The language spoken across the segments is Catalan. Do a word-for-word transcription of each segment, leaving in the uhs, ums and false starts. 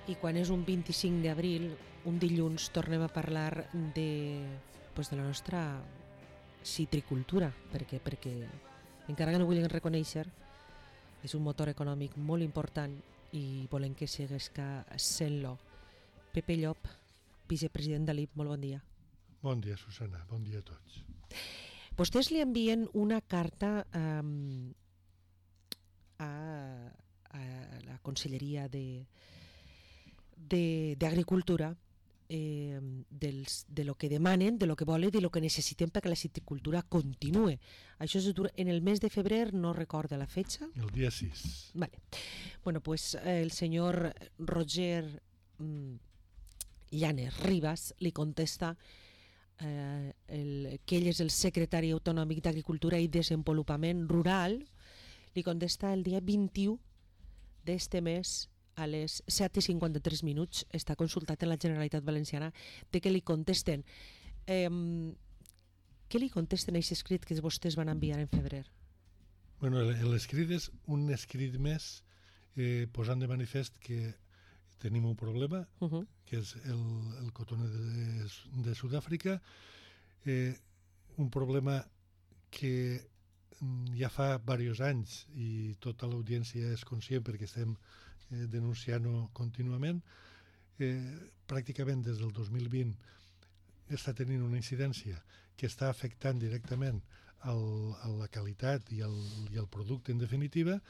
I quan és un vint-i-cinc d'abril, un dilluns, tornem a parlar de, pues, de la nostra citricultura, perquè, perquè encara que no vulguin reconèixer, és un motor econòmic molt important i volem que seguesca sent-lo. Pepe Llop, vicepresident de l'I P, molt bon dia. Bon dia, Susana, bon dia a tots. Vostès li envien una carta um, a, a la Conselleria de d'Agricultura eh, dels, de lo que demanen, de lo que volen, de lo que necessiten perquè la citricultura continue. Això és en el mes de febrer, no recorda la fetxa. El dia sis. Vale. Bueno, pues el senyor Roger mm, Llanes Rivas li contesta eh, el, que ell és el secretari autonòmic d'Agricultura i Desenvolupament Rural. Li contesta el dia vint-i-u d'este mes a les set i cinquanta-tres minuts. Està consultat en la Generalitat Valenciana de que li contesten. Eh, què li contesten a aquest escrit que vostès van enviar en febrer? Bueno, l'escrit és un escrit més eh, posant de manifest que tenim un problema, uh -huh. que és el, el cotoner de, de Sud-àfrica, eh, un problema que ja fa diversos anys i tota l'audiència és conscient perquè estem eh, denunciant-ho contínuament. Eh, pràcticament des del dos mil vint està tenint una incidència que està afectant directament el, a la qualitat i el, i el producte en definitiva,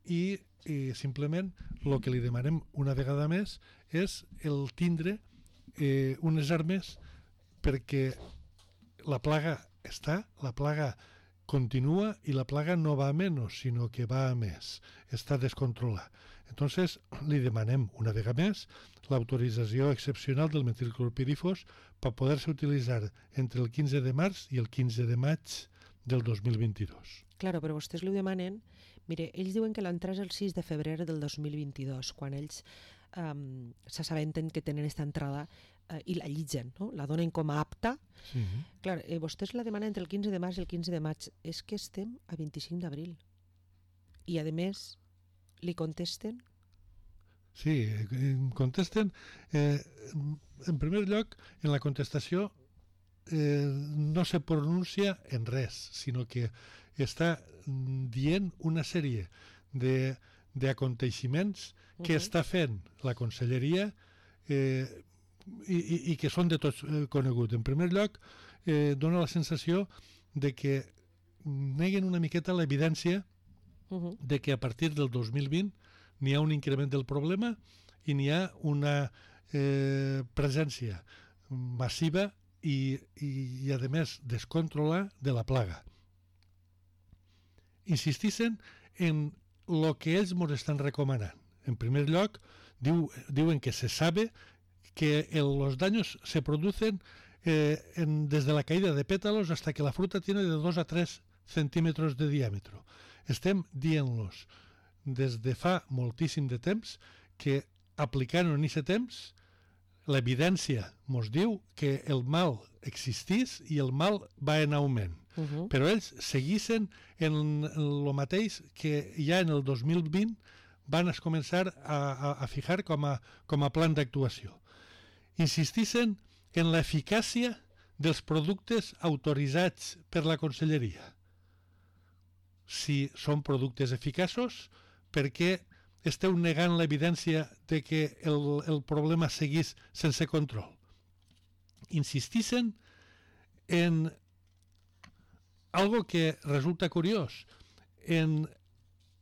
i eh, simplement el que li demanem una vegada més és el tindre eh, unes armes perquè la plaga està, la plaga continua y la plaga no va a menos, sino que va a més. Està descontrolada. Entonces, li demanem una vegada més l'autorització excepcional del metilclorpirifos per poder-se utilitzar entre el quinze de març i el quinze de maig del dos mil vint-i-dos. Claro, però vostès li demanen... Mire, ells diuen que l'entrada és el sis de febrer del dos mil vint-i-dos, quan ells um, s'assabenten que tenen aquesta entrada uh, i la llitgen, no? La donen com a apta. Sí. Clar, eh, vostès la demanen entre el quinze de març i el quinze de maig. És que estem a vint-i-cinc d'abril. I, a més, li contesten... Sí, contesten... Eh, en primer lloc, en la contestació eh, no se pronuncia en res, sinó que està dient una sèrie de, de aconteixements que uh-huh. està fent la Conselleria eh, i, i, i que són de tots eh, coneguts. En primer lloc, eh, dona la sensació de que neguen una miqueta l'evidència uh-huh. de que a partir del dos mil vint n'hi ha un increment del problema i n'hi ha una eh, presència massiva i, i, i a més, descontrolada de la plaga. Insistixen en el que ells ens estan recomanant. En primer lloc, diu, diuen que se sabe que el, los daños se producen eh, en, desde la caída de pétalos hasta que la fruta tiene de dos a tres centímetres de diàmetre. Estem dient-los des de fa moltíssim de temps que aplicant-ho en aquest temps l'evidència ens diu que el mal existís i el mal va en augment. Uh-huh. Però ells seguissin en el mateix que ja en el dos mil vint van es començar a, a, a fijar com a, com a plan d'actuació. Insistissin en l'eficàcia dels productes autoritzats per la Conselleria. Si són productes eficaços, per què esteu negant l'evidència de que el, el problema seguís sense control? Insistissin en algo que resulta curiós, en,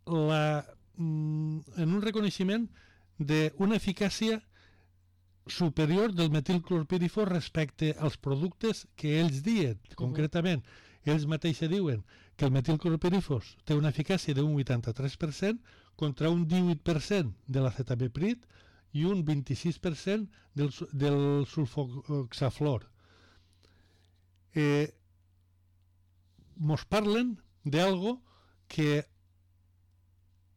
la, en un reconeixement d'una eficàcia superior del metilclorpirifos respecte als productes que ells diuen. Uh-huh. Concretament, ells mateixos diuen que el metilclorpirifos té una eficàcia d'un vuitanta-tres per cent contra un divuit per cent de l'acetamiprid i un vint-i-sis per cent del, del sulfoxaflor. Eh, mos parlen d'algo que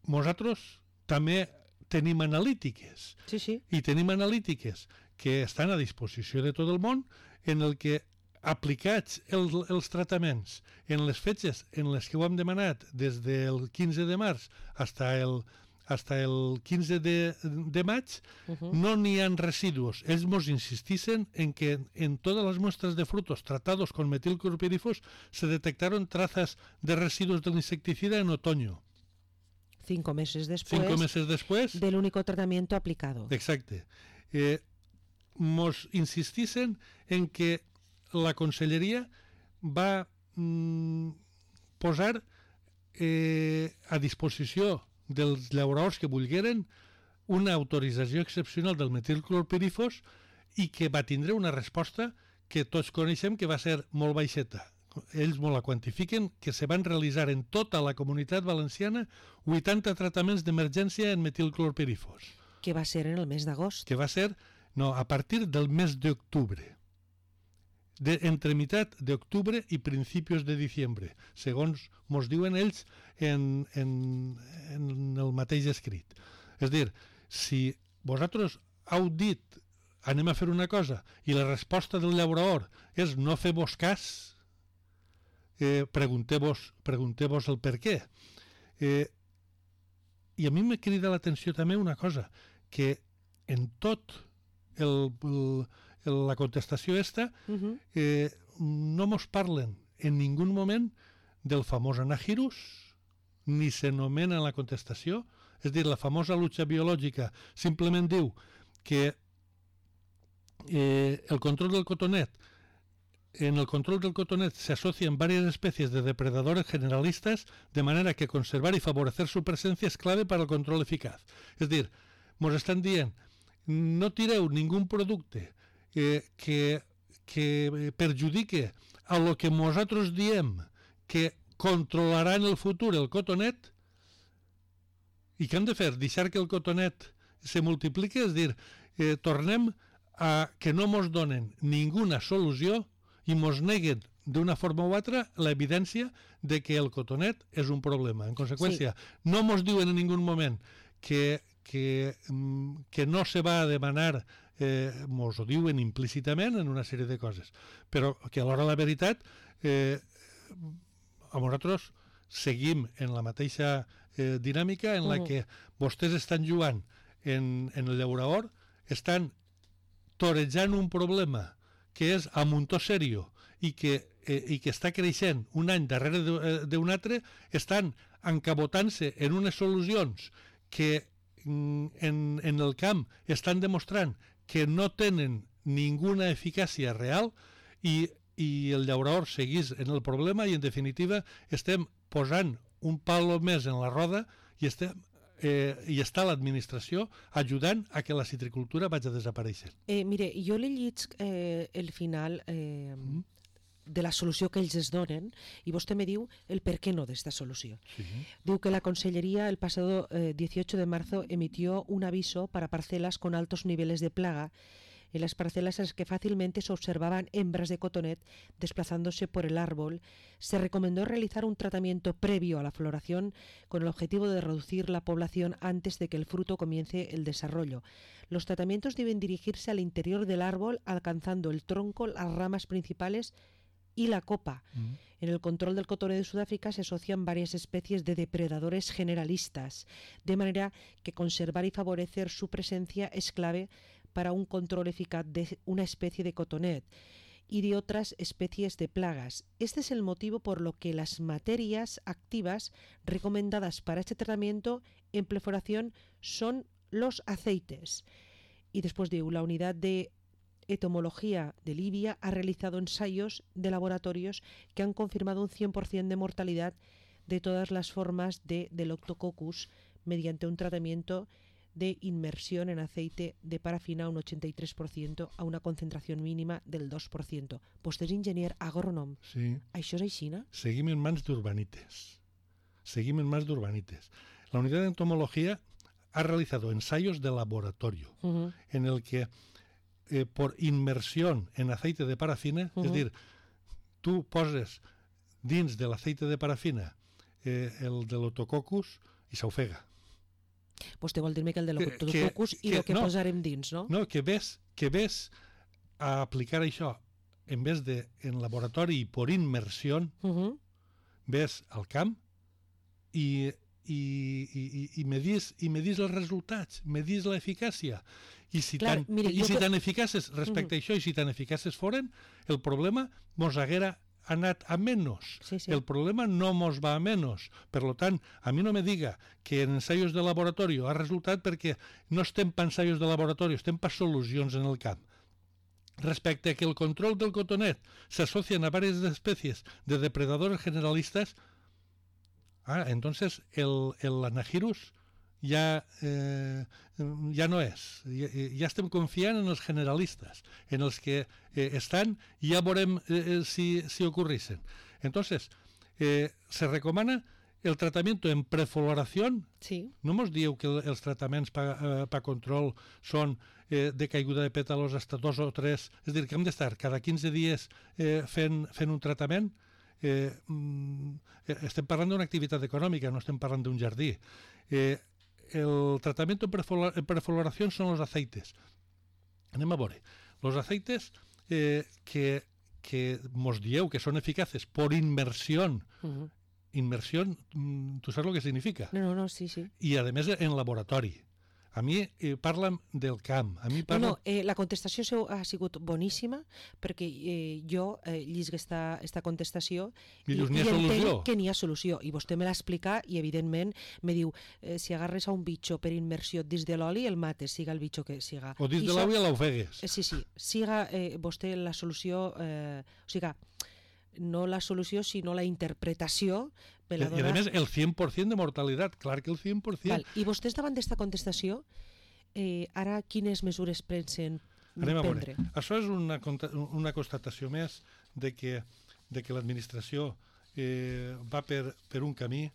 nosaltres també tenim analítiques. Sí, sí. I tenim analítiques que estan a disposició de tot el món en el que aplicats els, els tractaments en les fetges en les que ho hem demanat des del quinze de març fins el, hasta el quinze de, de maig, uh-huh. no n'hi ha residus. Ells nos insistisen en que en todas las muestras de frutos tratados con metilclorpirifos se detectaron trazas de residuos del insecticida en otoño. Cinco meses después, Cinco meses después del único tratamiento aplicado. Exacto. Eh, nos insistisen en que la Conselleria va mm, posar eh, a disposició dels llauradors que vulgueren una autorització excepcional del metilclorpirifos i que va tindre una resposta que tots coneixem que va ser molt baixeta. Ells molt la quantifiquen, que se van realitzar en tota la comunitat valenciana vuitanta tractaments d'emergència en metilclorpirifos. Que va ser en el mes d'agost. Que va ser, no, a partir del mes d'octubre. De, entre meitat d'octubre i principis de diciembre, segons mos diuen ells en, en, en el mateix escrit. És a dir, si vosaltres heu dit anem a fer una cosa i la resposta del llaurador és no fer-vos cas, eh, pregunteu-vos pregunteu-vos el per què. Eh, I a mi me crida l'atenció també una cosa, que en tot el... el la contestació esta, uh-huh. eh, no mos parlen en ningú moment del famós anagirus, ni s'anomena en la contestació, és dir, la famosa lucha biològica simplement diu que eh, el control del cotonet, en el control del cotonet se asocian varias especies de depredadores generalistas de manera que conservar y favorecer su presencia es clave para el control eficaz. És dir, mos estan dient, no tireu ningú producte Eh, que, que perjudique a lo que nosaltres diem que controlarà en el futur el cotonet i què hem de fer? Deixar que el cotonet se multipliqui? És dir, eh, tornem a que no mos donen ninguna solució i mos neguen d'una forma o altra l'evidència de que el cotonet és un problema. En conseqüència, sí. no mos diuen en ningú moment que, que, que no se va a demanar Eh, mos ho diuen implícitament en una sèrie de coses, però que alhora la veritat eh, a nosaltres seguim en la mateixa eh, dinàmica en la uh-huh. que vostès estan jugant en, en el llaurador, estan torejant un problema que és a muntó serio i que, eh, i que està creixent un any darrere d'un altre, estan encabotant-se en unes solucions que en, en el camp estan demostrant que no tenen ninguna eficàcia real i, i el llaurador seguís en el problema i en definitiva estem posant un palo més en la roda i, estem, eh, i està l'administració ajudant a que la citricultura vagi desapareixent. Eh, mire, jo l'he llit eh, el final eh, mm. de la solució que ells es donen i vostè me diu el per què no d'esta solució. Sí. Diu que la Consellería el pasado eh, dieciocho de marzo emitió un aviso para parcelas con altos niveles de plaga en las parcelas en las que fácilmente se observaban hembras de cotonet desplazándose por el árbol. Se recomendó realizar un tratamiento previo a la floración con el objetivo de reducir la población antes de que el fruto comience el desarrollo. Los tratamientos deben dirigirse al interior del árbol alcanzando el tronco, las ramas principales y la copa. Mm. En el control del cotonet de Sudáfrica se asocian varias especies de depredadores generalistas, de manera que conservar y favorecer su presencia es clave para un control eficaz de una especie de cotonet y de otras especies de plagas. Este es el motivo por lo que las materias activas recomendadas para este tratamiento en perforación son los aceites. Y después de la unidad de Entomología de Libia ha realizado ensayos de laboratorios que han confirmado un cien por ciento de mortalidad de todas las formas de Delococcus mediante un tratamiento de inmersión en aceite de parafina un ochenta y tres por ciento a una concentración mínima del dos por ciento. Vostè és enginyer agrònom. Sí. ¿Això és així, no? Seguim en mans d'urbanites. Seguim en mans d'urbanites. La unidad de entomología ha realizado ensayos de laboratorio uh-huh. en el que Eh, por inmersión en aceite de parafina, uh-huh. és dir, tu poses dins de l'aceite de parafina eh, el de l'Otococcus i s'ofega. Vostè vol dir-me que el de l'Otococcus i el que no, posarem dins, no? No, que ves, que ves a aplicar això en vez de en laboratori i por inmersió, uh-huh. ves al camp i, i, i, i medís, i medís els resultats, medís l'eficàcia. I si Clar, tan, mire, i si que... tan eficaces respecte uh -huh. a això, i si tan eficaces foren, el problema mos haguera anat a menys. Sí, sí. El problema no mos va a menys. Per tant, a mi no me diga que en ensaios de laboratori ha resultat perquè no estem per ensaios de laboratori, estem per solucions en el camp. Respecte a que el control del cotonet s'associa a varias especies de depredadores generalistas, ah, entonces el, el Anagirus ja, eh, ja no és. Ja, ja estem confiant en els generalistes, en els que eh, estan, i ja veurem eh, si, si ocurrissen. Entonces, eh, se recomana el tratamiento en prefloración. Sí. No mos dieu que els tractaments per eh, pa control són eh, de caiguda de pètalos hasta dos o tres, és a dir, que hem d'estar cada quinze dies eh, fent, fent un tractament. Eh, mm, estem parlant d'una activitat econòmica, no estem parlant d'un jardí. Eh, el tratamiento en prefloración son los aceites. Anem a veure. Los aceites eh, que, que mos dieu que són eficaces por inmersión. Uh-huh. Inmersión, ¿tú sabes lo que significa? No, no, no, sí, sí. Y además en laboratori. A mi eh, parlen del camp. A mi parlen... No, no, eh, la contestació seu ha sigut boníssima, perquè eh, jo eh, llisc esta, esta contestació i, i, i entenc solució. que n'hi ha solució. I vostè me l'ha explicat i, evidentment, me diu, eh, si agarres a un bitxo per immersió dins de l'oli, el mates, siga el bitxo que siga. O dins I de l'aigua l'ofegues. Eh, sí, sí. Siga eh, vostè la solució... Eh, o sigui, no la solució, sinó la interpretació. I, I a més, el cent per cent de mortalitat, clar que el cent per cent. Val. I vostès davant d'esta contestació, eh, ara quines mesures pensen Anem prendre? A Això és una, una constatació més de que, de que l'administració eh, va per, per un camí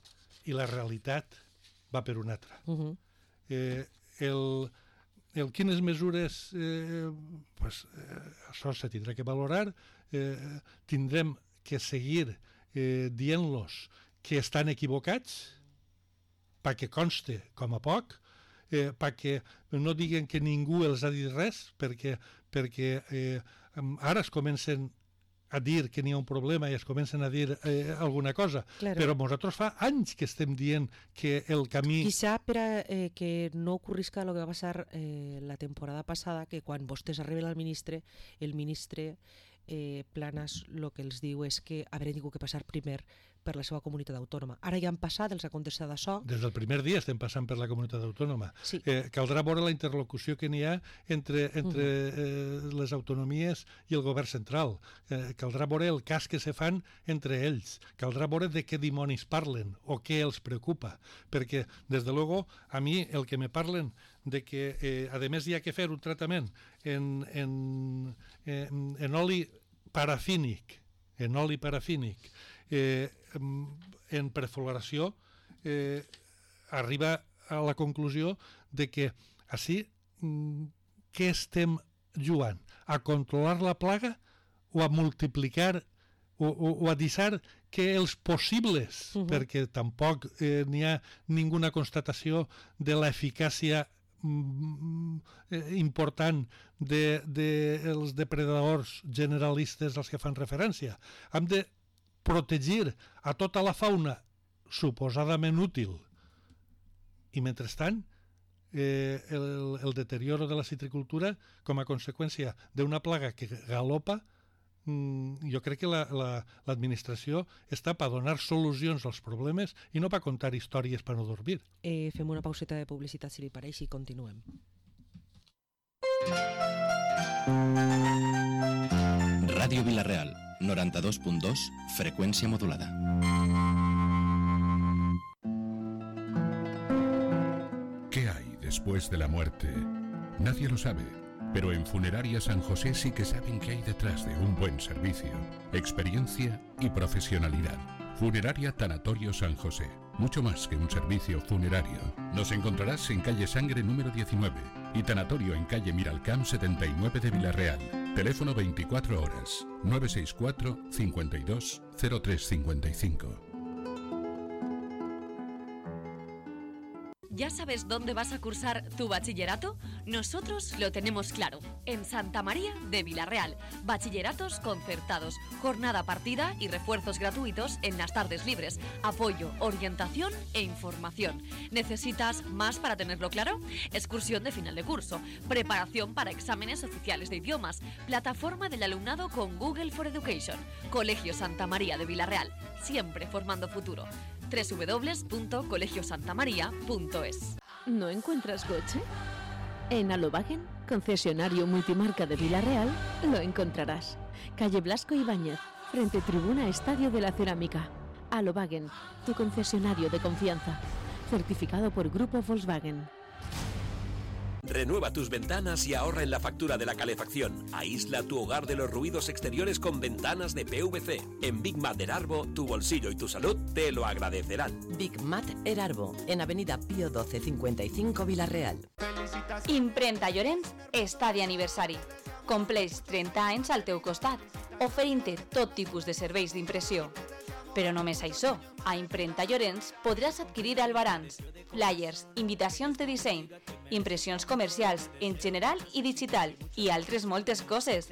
i la realitat va per un altre. Uh -huh. eh, el, el quines mesures, eh, pues, eh, això se tindrà que valorar, eh, tindrem que seguir eh, dient-los que estan equivocats perquè conste com a poc, eh, perquè no diguen que ningú els ha dit res, perquè, perquè eh, ara es comencen a dir que n'hi ha un problema i es comencen a dir eh, alguna cosa, claro. Però nosaltres fa anys que estem dient que el camí... Quizá per a eh, que no ocorrisca el que va passar eh, la temporada passada, que quan vostès arriben al ministre, el ministre eh, Planas el que els diu és que haurem tingut que passar primer per la seva comunitat autònoma. Ara ja han passat, els ha contestat això. Des del primer dia estem passant per la comunitat autònoma. Sí. Eh, caldrà veure la interlocució que n'hi ha entre, entre uh-huh. eh, les autonomies i el govern central. Eh, caldrà veure el cas que se fan entre ells. Caldrà veure de què dimonis parlen o què els preocupa. Perquè, des de luego, a mi el que me parlen de que, eh, a més, hi ha que fer un tractament en, en, en, en oli parafínic, en oli parafínic, eh, en prefloració, eh, arriba a la conclusió de que així, què estem jugant? A controlar la plaga o a multiplicar o, o, o a deixar que els possibles, uh-huh. perquè tampoc eh, n'hi ha ninguna constatació de l'eficàcia important dels de, de depredadors generalistes als que fan referència. Hem de protegir a tota la fauna suposadament útil i, mentrestant, eh, el, el deterioro de la citricultura com a conseqüència d'una plaga que galopa, mm, jo crec que la, la, l'administració està per donar solucions als problemes i no per contar històries per no dormir. Eh, fem una pauseta de publicitat, si li pareix, i continuem. Ràdio Vila-real, noranta-dos punt dos, freqüència modulada. ¿Qué hay después de la muerte? Nadie lo sabe, pero en Funeraria San José sí que saben qué hay detrás de un buen servicio, experiencia y profesionalidad. Funeraria Tanatorio San José, mucho más que un servicio funerario. Nos encontrarás en calle Sangre número diecinueve y Tanatorio en calle Miralcamp setenta y nueve de Vila-real. Teléfono veinticuatro horas, nueve seis cuatro, cincuenta y dos, cero tres cincuenta y cinco. ¿Ya sabes dónde vas a cursar tu bachillerato? Nosotros lo tenemos claro. En Santa María de Vilarreal. Bachilleratos concertados, jornada partida y refuerzos gratuitos en las tardes libres. Apoyo, orientación e información. ¿Necesitas más para tenerlo claro? Excursión de final de curso, preparación para exámenes oficiales de idiomas, plataforma del alumnado con Google for Education. Colegio Santa María de Vilarreal, siempre formando futuro. doble u doble u doble u punto colegio santa maría punto es. ¿No encuentras coche? En Alobagen, concesionario multimarca de Vilarreal, lo encontrarás. Calle Blasco Ibáñez, frente Tribuna Estadio de la Cerámica. Alobagen, tu concesionario de confianza. Certificado por Grupo Volkswagen. Renueva tus ventanas y ahorra en la factura de la calefacción. Aísla tu hogar de los ruidos exteriores con ventanas de P V C. En Big Mat Erarbo, tu bolsillo y tu salud te lo agradecerán. Big Mat Erarbo, en Avenida Pío doce cincuenta y cinco, Vilarreal. Imprenta Llorenç està d'aniversari. Compleix trenta anys al teu costat, oferint-te tot tipus de serveis d'impressió. Però només això, a Imprenta Llorenç podràs adquirir albarans, flyers, invitacions de disseny, impressions comercials en general i digital i altres moltes coses.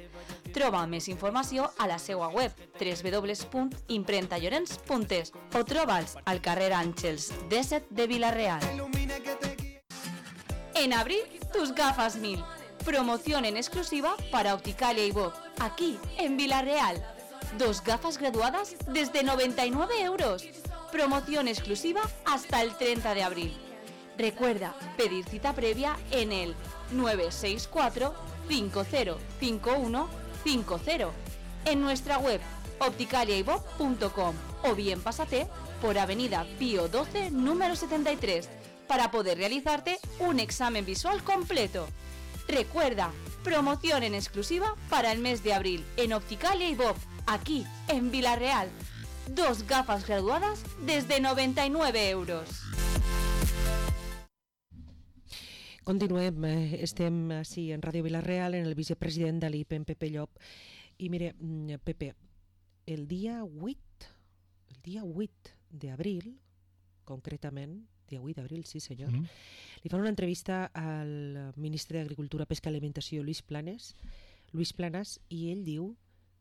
Troba més informació a la seva web doble u doble u doble u punt imprenta llorenç punt es o troba'ls al carrer Àngels disset de Vilarreal. En abril, tus gafas mil. Promoción en exclusiva para Opticalia y Bob, aquí en Vilarreal. Dos gafas graduadas desde noventa y nueve euros. Promoción exclusiva hasta el treinta de abril. Recuerda pedir cita previa en el nueve seis cuatro cinco cero cinco uno cinco cero, en nuestra web opticalia y bob punto com o bien pásate por Avenida Pío doce número setenta y tres para poder realizarte un examen visual completo. Recuerda, promoción en exclusiva para el mes de abril en Opticalia y Bob, aquí en Vilarreal. Dos gafas graduadas desde noventa y nueve euros. Continuem, estem així en Ràdio Vilarreal, en el vicepresident de l'I P, en Pepe Llop. I mire, Pepe, el dia vuit, el dia vuit d'abril, concretament, dia vuit d'abril, sí senyor, mm. li fan una entrevista al ministre d'Agricultura, Pesca i Alimentació, Luis Planes, Luis Planas, y él diu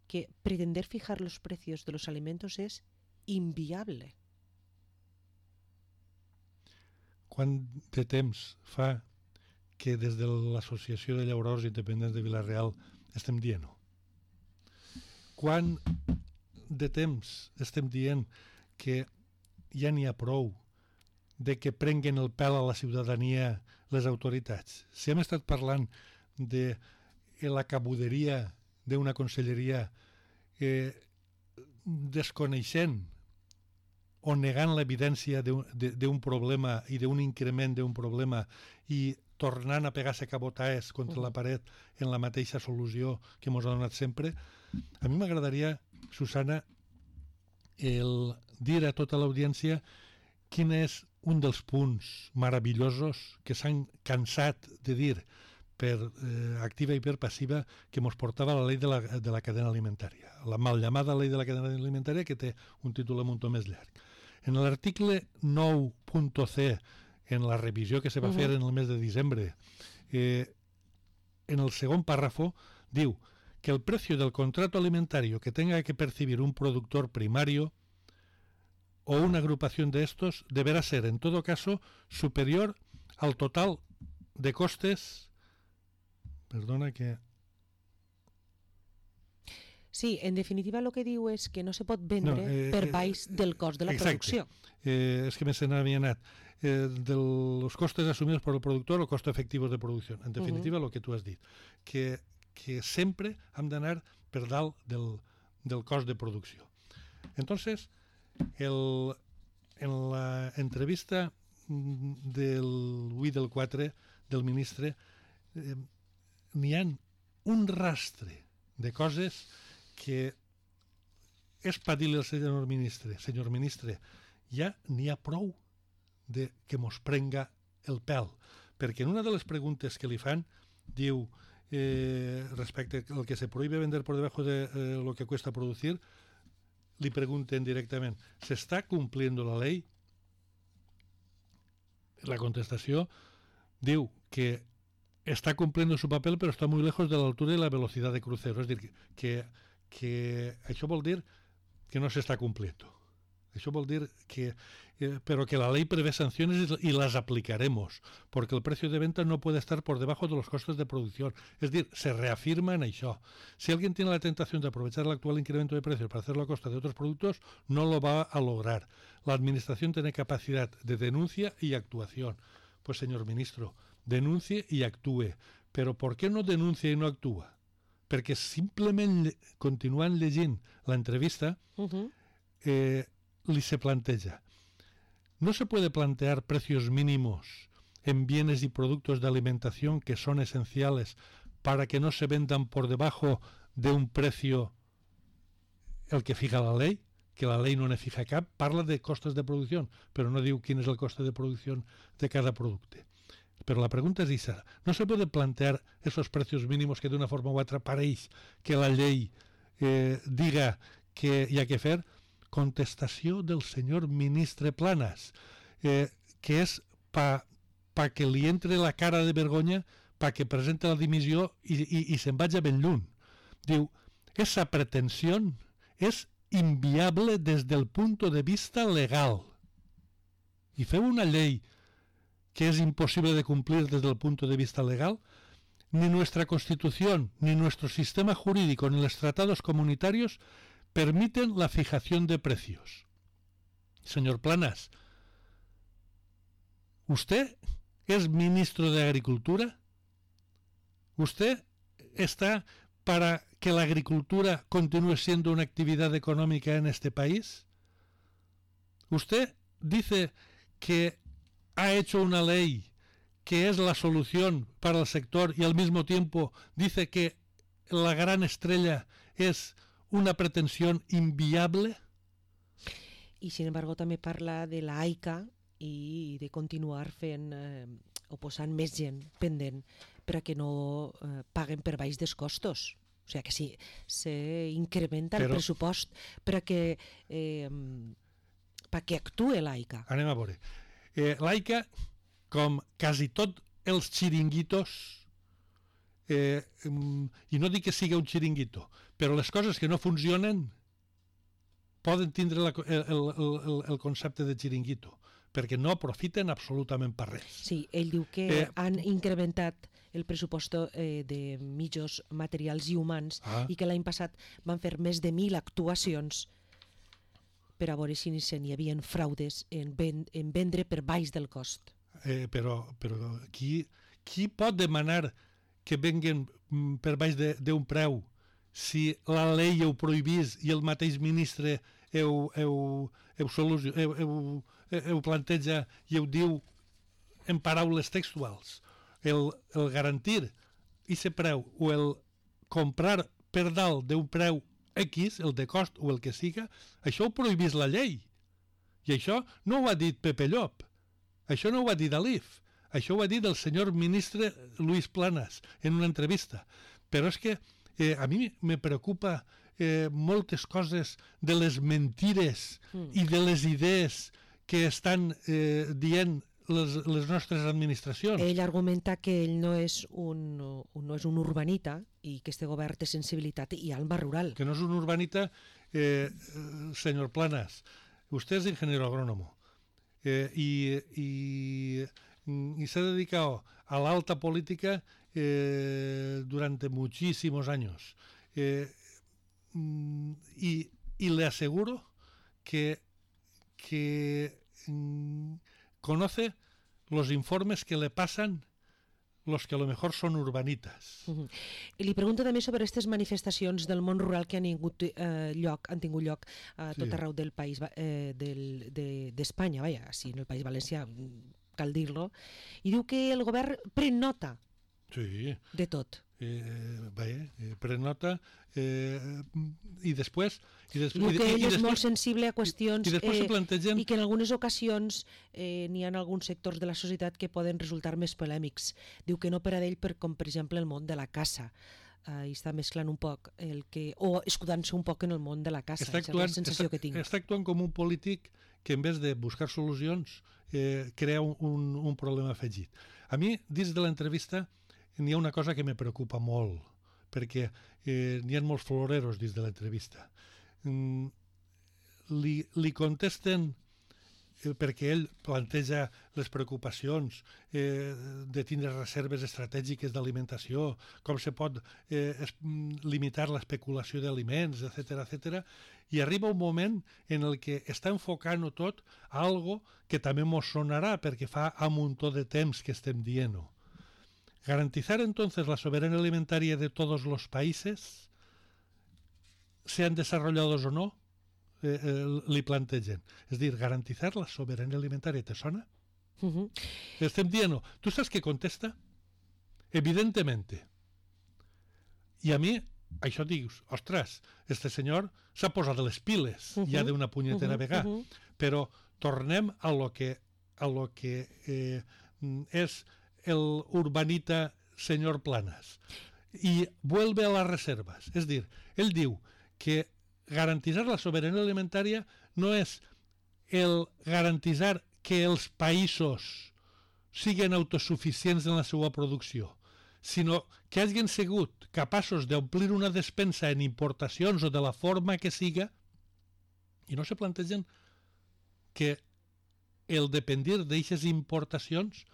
que pretender fijar los precios de los alimentos es inviable. Quant de temps fa que des de l'Associació de Llauradors Independents de Vilarreal estem dient-ho? Quant de temps estem dient que ja n'hi ha prou de que prenguen el pèl a la ciutadania les autoritats? Si hem estat parlant de la cabuderia d'una conselleria eh, desconeixent o negant l'evidència d'un problema i d'un increment d'un problema i tornant a pegar-se cabotaes contra la paret en la mateixa solució que ens ha donat sempre, a mi m'agradaria, Susana, el dir a tota l'audiència quin és un dels punts meravellosos que s'han cansat de dir per eh, activa i per passiva que ens portava la llei de la, de la cadena alimentària, la mal llamada llei de la cadena alimentària, que té un títol un to més llarg. En l'article nou punt c, en la revisió que se va uh-huh. fer en el mes de diciembre, eh, en el segon párrafo, diu que el precio del contrato alimentario que tenga que percibir un productor primario o una agrupación de estos deberá ser, en todo caso, superior al total de costes. Perdona que... Sí, en definitiva el que diu és que no se pot vendre no, eh, per baix del cost de la exacte. producció. Eh, és que me se n'havia anat. Eh, de los costes asumidos por el productor o costos efectivos de producción. En definitiva, uh-huh. lo que tu has dit. Que, que sempre hem d'anar per dalt del, del cost de producció. Entonces, el, en la entrevista del vuit del quatre del ministre eh, n'hi ha un rastre de coses que és per dir-li al senyor ministre, senyor ministre, ja n'hi ha prou de que mos prenga el pèl. Perquè en una de les preguntes que li fan, diu, eh, respecte al que se prohíbe vender por debajo de eh, lo que cuesta producir, li pregunten directament, ¿se está cumpliendo la ley? la contestació diu que está cumpliendo su papel pero está muy lejos de la altura y la velocidad de crucero. Es decir, que, que això vol dir que no se está cumpliendo. Eso vol dir que, eh, pero que la ley prevé sanciones y las aplicaremos, porque el precio de venta no puede estar por debajo de los costes de producción. Es decir, se reafirma en això. Si alguien tiene la tentación de aprovechar el actual incremento de precios para hacerlo a costa de otros productos, no lo va a lograr. La administración tiene capacidad de denuncia y actuación. Pues, señor ministro, denuncie y actúe. Pero ¿por qué no denuncia y no actúa? Perquè simplement, continuant llegint l'entrevista, uh-huh. eh, li se planteja. No se puede plantear precios mínimos en bienes y productos de alimentación que son esenciales para que no se vendan por debajo de un precio el que fija la ley, que la ley no ne fija cap, parla de costes de producció, però no diu quin és el coste de producció de cada producte. Pero la pregunta es esa, ¿no se puede plantear esos precios mínimos que de una forma u otra pareix que la llei eh, diga que hi ha que fer? Contestació del senyor ministre Planas, eh, que és pa, pa que li entre la cara de vergonya, pa que presente la dimissió i, i, i se'n vagi ben lluny. Diu, esa pretensió és inviable des del punt de vista legal. I feu una llei que es imposible de cumplir desde el punto de vista legal, ni nuestra Constitución, ni nuestro sistema jurídico, ni los tratados comunitarios permiten la fijación de precios. Señor Planas, ¿usted es ministro de Agricultura? ¿Usted está para que la agricultura continúe siendo una actividad económica en este país? ¿Usted dice que ha hecho una ley que es la solución para el sector y al mismo tiempo dice que la gran estrella es una pretensión inviable? Y sin embargo també parla de la AICA i de continuar fent eh, o posant més gent pendent per a que no eh, paguen per baix dels costos. O sigui que sí, s'incrementa el Però... pressupost per a que, eh, per a que actue l'AICA. Anem a veure. Eh, L'AICA, com quasi tot els xiringuitos, eh, i no dic que sigui un xiringuito, però les coses que no funcionen poden tindre la, el, el, el, el concepte de xiringuito, perquè no aprofiten absolutament per res. Sí, ell diu que eh, han incrementat el pressupost eh, de mitjans materials i humans ah. i que l'any passat van fer més de mil actuacions per a veure si n'hi havia fraudes en, ven, en vendre per baix del cost. Eh, però però qui, qui pot demanar que venguen per baix d'un preu si la llei ho prohibís i el mateix ministre ho, ho, ho, solució, ho, ho, ho planteja i ho diu en paraules textuals? El, el garantir aquest preu o el comprar per dalt d'un preu X, el de cost o el que siga, això ho prohibís la llei. I això no ho ha dit Pepe Llop, això no ho ha dit Alif, això ho ha dit el senyor ministre Luis Planas en una entrevista. Però és que eh, a mi me preocupa eh, moltes coses de les mentires mm. i de les idees que estan eh, dient les, les nostres administracions. Ell argumenta que ell no és un, no és un urbanita i que este govern té sensibilitat i alma rural. Que no és un urbanita, eh, señor Planas, usted es ingeniero agrónomo eh, y, y, y se ha dedicado a la alta política eh, durante muchísimos años. Eh, y, y le aseguro que, que mm, conoce los informes que le pasan los que a lo mejor son urbanitas. Uh-huh. I li pregunto també sobre aquestes manifestacions del món rural que han tingut eh, lloc, han tingut lloc a tot sí. arreu del país eh, del, de, d'Espanya, vaja, sí, en el País Valencià, cal dir-lo, i diu que el govern pren nota sí. de tot. Eh, bé, eh, pren nota eh, i després i des, diu que ell i, i és després, molt sensible a qüestions i, i, eh, plantegen... i que en algunes ocasions eh, n'hi ha alguns sectors de la societat que poden resultar més polèmics. Diu que no per a ell, per, com per exemple el món de la caça, eh, i està mesclant un poc el que, o escudant-se un poc en el món de la caça, està actuant, és la sensació està, que tinc. Està actuant com un polític que en vez de buscar solucions eh, crea un, un, un problema afegit. A mi, dins de l'entrevista, n'hi ha una cosa que me preocupa molt, perquè eh, n'hi ha molts floreros dins de l'entrevista. Mm, li, li contesten, eh, perquè ell planteja les preocupacions eh, de tindre reserves estratègiques d'alimentació, com se pot eh, es, limitar l'especulació d'aliments, etcètera, etcètera, i arriba un moment en el que està enfocant-ho tot a algo que també mos sonarà perquè fa un muntó de temps que estem dient-ho. Garantizar entonces la soberanía alimentaria de todos los países, sean desarrollados o no, eh, eh, li plantegen. És dir, garantizar la soberanía alimentaria, ¿te sona? Uh-huh. Estem dient-ho. Tu saps què contesta? Evidentemente. I a mi, això dius, ostres, este senyor s'ha posat les piles uh-huh. ja d'una punyetera uh-huh. vegada, uh-huh. però tornem a lo que, a lo que eh, és el urbanita señor Planas y vuelve a las reservas. Es decir, él diu que garantizar la soberanía alimentaria no és el garantizar que els països siguin autosuficients en la seva producció, sinó que hagin sigut capaços d'omplir una despensa en importacions o de la forma que siga i no se plantegen que el dependir d'eixes importacions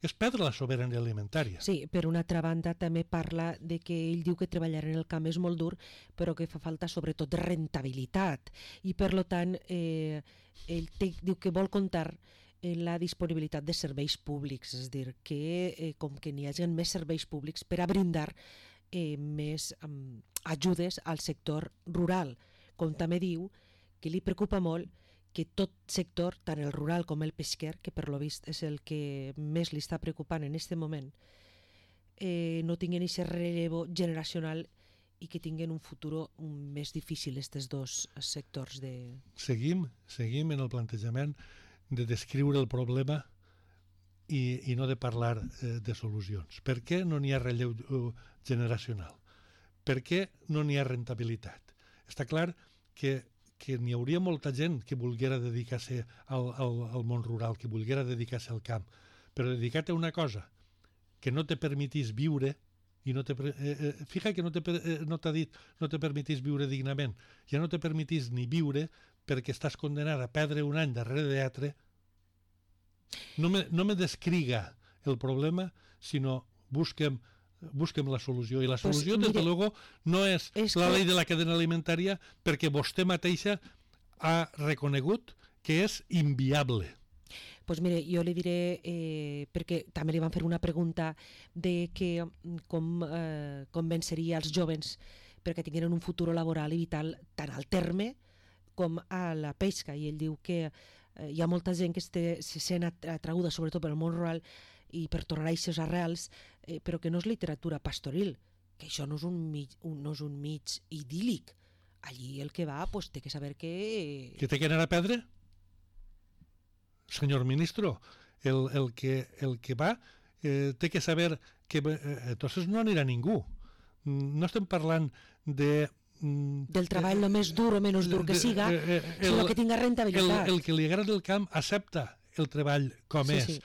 és perdre la sobirania alimentària. Sí, per una altra banda també parla de que ell diu que treballar en el camp és molt dur, però que fa falta sobretot rentabilitat i per lo tant eh, ell te, diu que vol comptar en la disponibilitat de serveis públics, és a dir, que eh, com que n'hi hagi més serveis públics per a brindar eh, més um, ajudes al sector rural, com també diu que li preocupa molt que tot sector, tant el rural com el pesquer, que per lo vist és el que més li està preocupant en aquest moment, eh, no tinguin aquest relevo generacional i que tinguin un futur més difícil aquests dos sectors. De... Seguim, seguim en el plantejament de descriure el problema i, i no de parlar eh, de solucions. Per què no n'hi ha relleu uh, generacional? Per què no n'hi ha rentabilitat? Està clar que que n'hi hauria molta gent que volguera dedicar-se al, al, al món rural, que volguera dedicar-se al camp, però dedicar-te a una cosa que no te permetís viure, i no te, eh, eh, fixa que no t'ha eh, no dit no te permetís viure dignament, ja no te permetís ni viure perquè estàs condenat a perdre un any darrere d'altre, no me, no me descriga el problema, sinó busquem busquem la solució, i la solució, pues, desde luego, no és, és la que... llei de la cadena alimentària, perquè vostè mateixa ha reconegut que és inviable. Pues mire, jo li diré, eh, perquè també li van fer una pregunta de que com eh, convenceria els joves perquè tinguin un futur laboral i vital tant al terme com a la pesca, i ell diu que eh, hi ha molta gent que se sent atraguda, sobretot pel món rural, i per tornar a aquestes arrels, eh, però que no és literatura pastoril, que això no és un mig, un, no és un mig idíl·lic. Allí el que va, pues, té que saber que... Que té que anar a perdre? Senyor ministro, el, el, que, el que va eh, té que saber que eh, entonces no anirà ningú. No estem parlant de... del treball el més dur o menys dur que siga, eh, eh, el, sinó que tinga rentabilitat. El, el que li agrada el camp accepta el treball com sí, és. Sí.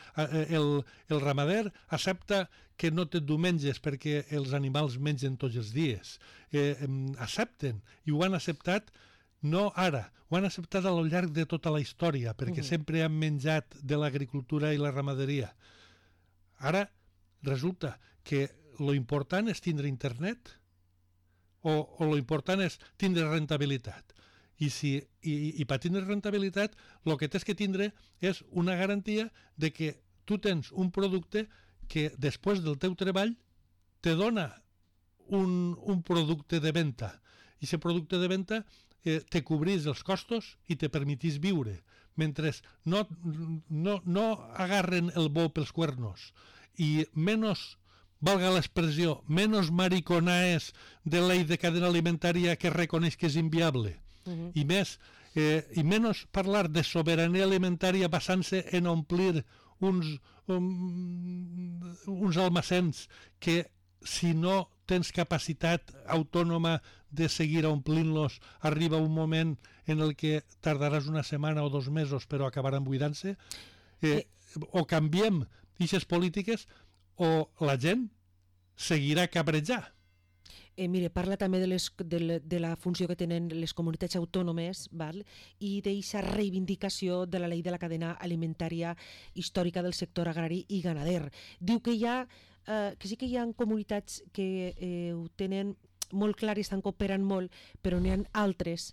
El, el ramader accepta que no té diumenges perquè els animals mengen tots els dies. Eh, accepten, i ho han acceptat no ara, ho han acceptat a lo llarg de tota la història, perquè uh-huh. sempre han menjat de l'agricultura i la ramaderia. Ara resulta que lo important és tindre internet o, o lo important és tindre rentabilitat. I, si, i, i per tindre rentabilitat el que tens que tindre és una garantia de que tu tens un producte que després del teu treball te dona un, un producte de venda, i aquest producte de venda eh, te cobrís els costos i te permetís viure, mentre no, no, no agarren el bou pels cuernos i menys, valga l'expressió, menys mariconaes de la llei de cadena alimentària que reconeix que és inviable. Uh-huh. I més, eh, i menys parlar de sobirania alimentària basant-se en omplir uns, um, uns almacens que si no tens capacitat autònoma de seguir omplint-los, arriba un moment en el que tardaràs una setmana o dos mesos però acabaran buidant-se? Eh, o canviem aquestes polítiques o la gent seguirà cabrejar. Eh, mire, parla també de, les, de, la, de la funció que tenen les comunitats autònomes, val? I d'aquesta reivindicació de la llei de la cadena alimentària històrica del sector agrari i ganader. Diu que hi ha, eh, que sí que hi ha comunitats que eh, ho tenen molt clar i estan cooperant molt, però n'hi ha altres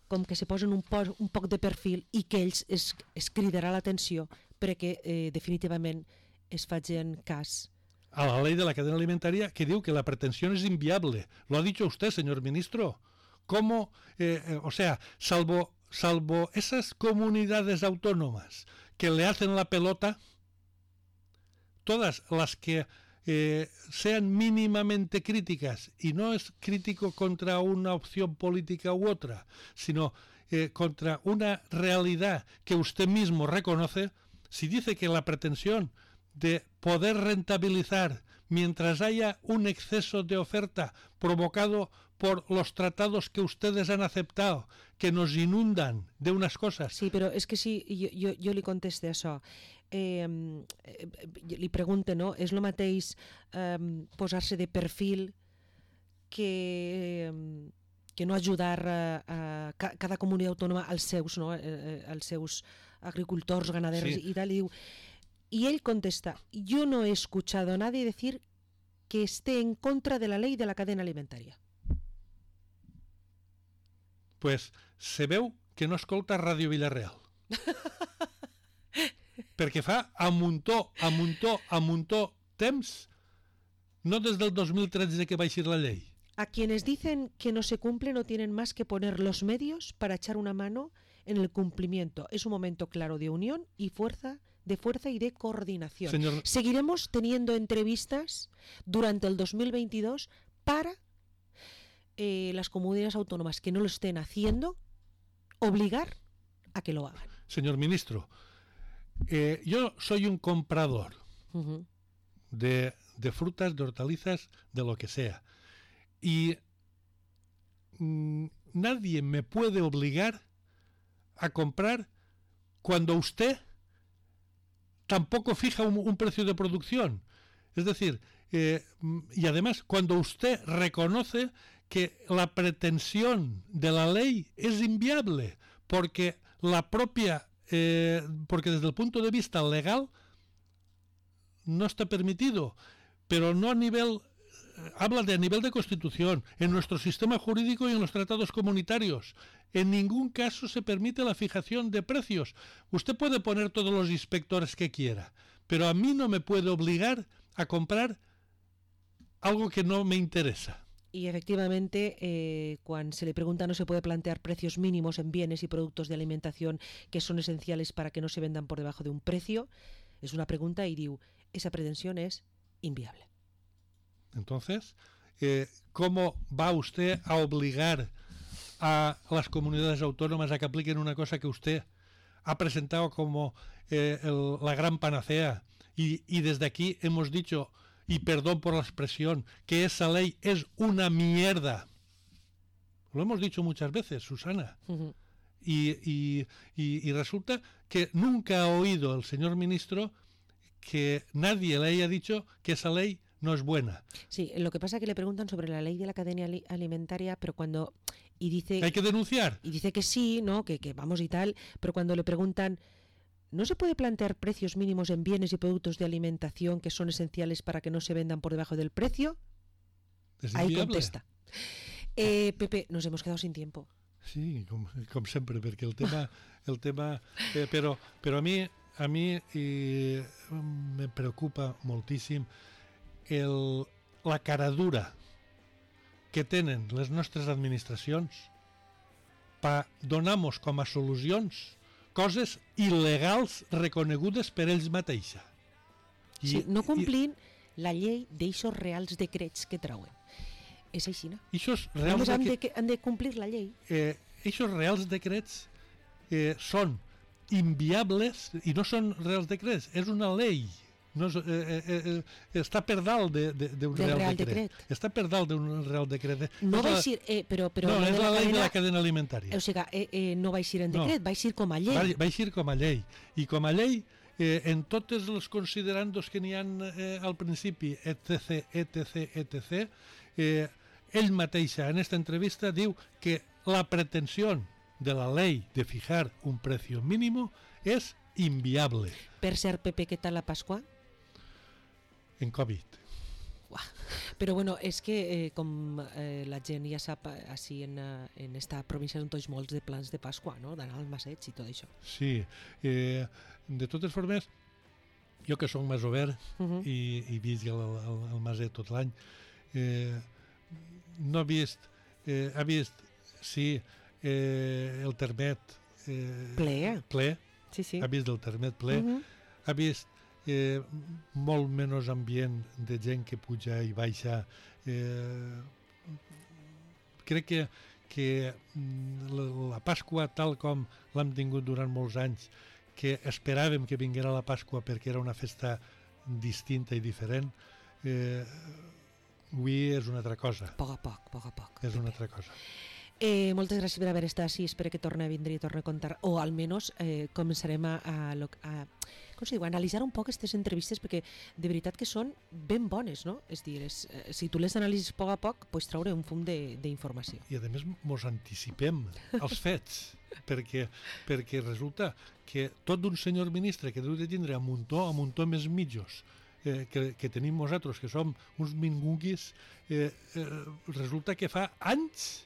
com que se posen un, po un poc de perfil i que ells es, es cridarà l'atenció perquè eh, definitivament es facin cas a la ley de la cadena alimentaria que diu que la pretensión es inviable. Lo ha dicho usted, señor ministro. ¿Cómo, eh, eh, o sea, salvo, salvo esas comunidades autónomas que le hacen la pelota, todas las que eh, sean mínimamente críticas, y no es crítico contra una opción política u otra, sino eh, contra una realidad que usted mismo reconoce, si dice que la pretensión de poder rentabilizar mientras haya un exceso de oferta provocado por los tratados que ustedes han aceptado, que nos inundan de unas cosas. Sí, però és que sí, jo, jo, jo li conteste això. Eh, eh, li pregunte, no? És el mateix eh, posar-se de perfil que, eh, que no ajudar a, a cada comunitat autònoma als seus, no? eh, als seus agricultors, ganaders sí. i tal, i diu... Y él contesta, yo no he escuchado a nadie decir que esté en contra de la ley de la cadena alimentaria. Pues se veu que no escolta Ràdio Vilareal. Perquè fa a muntó, a muntó, a muntó temps, no des del dos mil tretze que va eixir la llei. A quienes dicen que no se cumple no tienen más que poner los medios para echar una mano en el cumplimiento. Es un momento claro de unión y fuerza de fuerza y de coordinación. Señor... Seguiremos teniendo entrevistas durante el dos mil veintidós para eh, las comunidades autónomas que no lo estén haciendo, obligar a que lo hagan. Señor ministro, eh, yo soy un comprador uh-huh. de, de frutas, de hortalizas, de lo que sea. Y mmm, nadie me puede obligar a comprar cuando usted tampoco fija un, un precio de producción. Es decir, eh, y además cuando usted reconoce que la pretensión de la ley es inviable, porque la propia, eh, porque desde el punto de vista legal no está permitido, pero no a nivel, eh, habla de a nivel de Constitución, en nuestro sistema jurídico y en los tratados comunitarios. En ningún caso se permite la fijación de precios. Usted puede poner todos los inspectores que quiera, pero a mí no me puede obligar a comprar algo que no me interesa. Y efectivamente, eh, cuando se le pregunta, no se puede plantear precios mínimos en bienes y productos de alimentación que son esenciales para que no se vendan por debajo de un precio. Es una pregunta y digo, esa pretensión es inviable. Entonces, eh, ¿cómo va usted a obligar a las comunidades autónomas a que apliquen una cosa que usted ha presentado como eh, el, la gran panacea? Y, y desde aquí hemos dicho, y perdón por la expresión, que esa ley es una mierda. Lo hemos dicho muchas veces, Susana. Uh-huh. y, y, y, y resulta que nunca ha oído el señor ministro que nadie le haya dicho que esa ley no es buena. Sí, lo que pasa es que le preguntan sobre la ley de la cadena alimentaria, pero cuando... y dice hay que denunciar. Y dice que sí, ¿no? Que, que vamos y tal, pero cuando le preguntan, ¿no se puede plantear precios mínimos en bienes y productos de alimentación que son esenciales para que no se vendan por debajo del precio? Es Ahí contesta. Eh, Pepe, nos hemos quedado sin tiempo. Sí, com, com sempre, perquè el tema... El tema eh, però, però a mi, a mi eh, me preocupa moltíssim el, la cara dura que tenen les nostres administracions per donar-nos com a solucions coses il·legals reconegudes per ells mateixa. I, sí, no complint i, la llei d'eixos reals decrets que trauen. És així, no? Eixos reals han, de, han de complir la llei. Eh, eixos reals decrets eh, són inviables i no són reals decrets, és una llei. no és, eh, eh, eh, està per dalt d'un de, de, Real, Real Decret. Decret. Està per dalt d'un Real Decret. No és va la, eixir, eh, però, però no, lo és de la, la llei cadena, de la cadena alimentària. O sigui, eh, eh, no va eixir en decret, No. va eixir com a llei. Va, va eixir com a llei. I com a llei, eh, en tots els considerandos que n'hi ha eh, al principi, etc, etc, etc, eh, ell mateix en esta entrevista diu que la pretensió de la ley de fijar un precio mínimo es inviable. Per ser P P, què tal la Pasqua? En Covid. Uah. Però bueno, és que eh, com eh, la gent ja sap, així en, eh, en esta província són tots molts de plans de Pasqua, no? D'anar al maseig i tot això. Sí. Eh, de totes formes, jo que soc masover uh -huh. i, i visc al, al, al maset tot l'any, eh, no he vist, eh, he vist, sí, eh, el termet eh, ple. ple, sí, sí. ha vist el termet ple, uh -huh. ha vist eh, molt menys ambient de gent que puja i baixa. Eh, crec que, que la, la Pasqua, tal com l'hem tingut durant molts anys, que esperàvem que vinguera la Pasqua perquè era una festa distinta i diferent, eh, avui és una altra cosa. A poc a poc, a poc a poc. És una altra cosa. Eh, moltes gràcies per haver estat així, espero que torni a vindre i torni a contar, o almenys eh, començarem a, a, a, com se diu, a analitzar un poc aquestes entrevistes, perquè de veritat que són ben bones, no? És dir, és, eh, si tu les analitzes a poc a poc, pots traure un fum d'informació. I a més mos anticipem als fets, perquè, perquè resulta que tot d'un senyor ministre que deu de tindre a muntó, a muntó més mitjos, eh, que, que tenim nosaltres, que som uns mingunguis, eh, eh, resulta que fa anys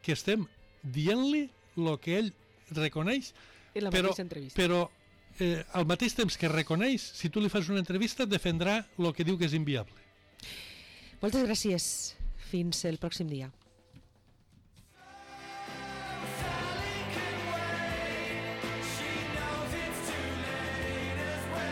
que estem dient-li el que ell reconeix, en la però, mateixa entrevista. però eh, al mateix temps que reconeix, si tu li fas una entrevista, defendrà el que diu que és inviable. Moltes gràcies. Fins el pròxim dia.